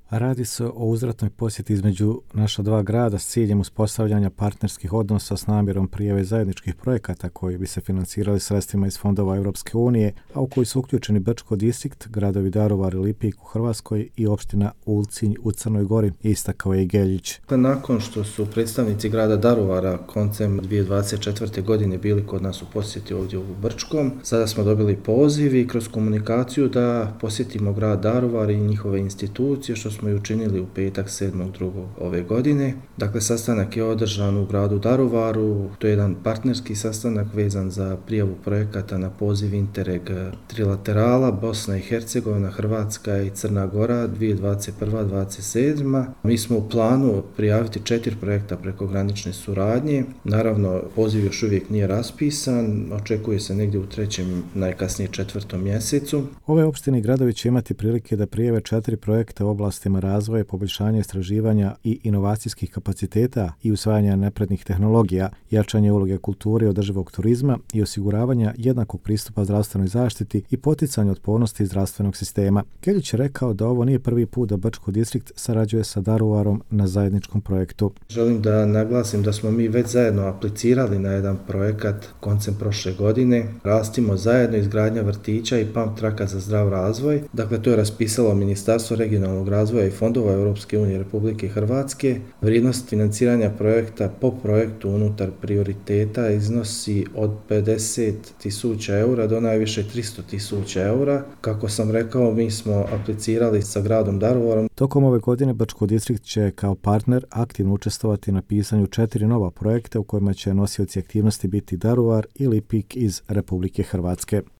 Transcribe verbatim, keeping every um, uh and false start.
Radi se o uzvratnoj posjeti između naša dva grada s ciljem uspostavljanja partnerskih odnosa s namjerom prijave zajedničkih projekata koji bi se financirali sredstvima iz fondova Europske unije, a u koji su uključeni Brčko distrikt, gradovi Daruvar i Lipik u Hrvatskoj i opština Ulcinj u Crnoj Gori, istakao je i Geljić. Nakon što su predstavnici grada Daruvara koncem dvije tisuće dvadeset četvrte. godine bili kod nas u posjeti ovdje u Brčkom, sada smo dobili poziv i kroz komunikaciju da posjetimo grad Daruvar i njihove institucije, što smo i učinili u petak sedmog drugog ove godine. Dakle, sastanak je održan u gradu Daruvaru, to je jedan partnerski sastanak vezan za prijavu projekata na poziv Interreg trilaterala Bosna i Hercegovina, Hrvatska i Crna Gora dvije tisuće dvadeset prva do dvadeset sedma. Mi smo u planu prijaviti četiri projekta prekogranične suradnje. Naravno, poziv još uvijek nije raspisan, očekuje se negdje u trećem, najkasnije četvrtom mjesecu. Ove opštine i gradovi će imati prilike da prijave četiri projekta u oblastima razvoja, poboljšanja istraživanja i inovacijskih kapaciteta i usvajanja naprednih tehnologija, jačanje uloge kulture i održivog turizma i osiguravanja jednakog pristupa zdravstvenoj zaštiti i poticanje otpornosti zdravstvenog sistema. Geljić je rekao da ovo nije prvi put da Brčko distrikt sarađuje sa Daruvarom na zajedničkom projektu. Želim da naglasim da smo mi već zajedno aplicirali na jedan projekat koncem prošle godine. Rastimo zajedno, izgradnja vrtića i pump traka za zdrav razvoj. Dakle, to je raspisalo Ministarstvo regionalnog razvoja i fondova Europske unije Republike Hrvatske. Vrijednost financiranja projekta po projektu unutar prioriteta iznosi od pedeset tisuća eura do najviše tristo tisuća eura. Kako sam rekao, mi smo aplicirali sa gradom Daruvarom. Tokom ove godine Brčko distrikt će kao partner aktivno učestvovati na pisanju četiri nova projekta u kojima će nosioci aktivnosti biti Daruvar i Lipik iz Republike Hrvatske.